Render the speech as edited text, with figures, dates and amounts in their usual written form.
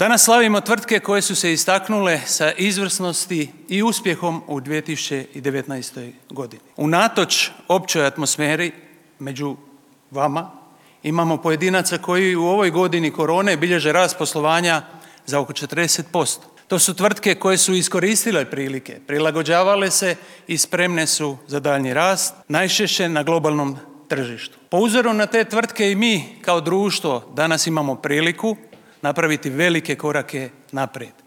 Danas slavimo tvrtke koje su se istaknule sa izvrsnosti i uspjehom u 2019. godini. Unatoč općoj atmosferi među vama imamo pojedinaca koji u ovoj godini korone bilježe rast poslovanja za oko 40%. To su tvrtke koje su iskoristile prilike, prilagođavale se i spremne su za daljnji rast, najčešće na globalnom tržištu. Po uzoru na te tvrtke i mi kao društvo danas imamo priliku napraviti velike korake naprijed.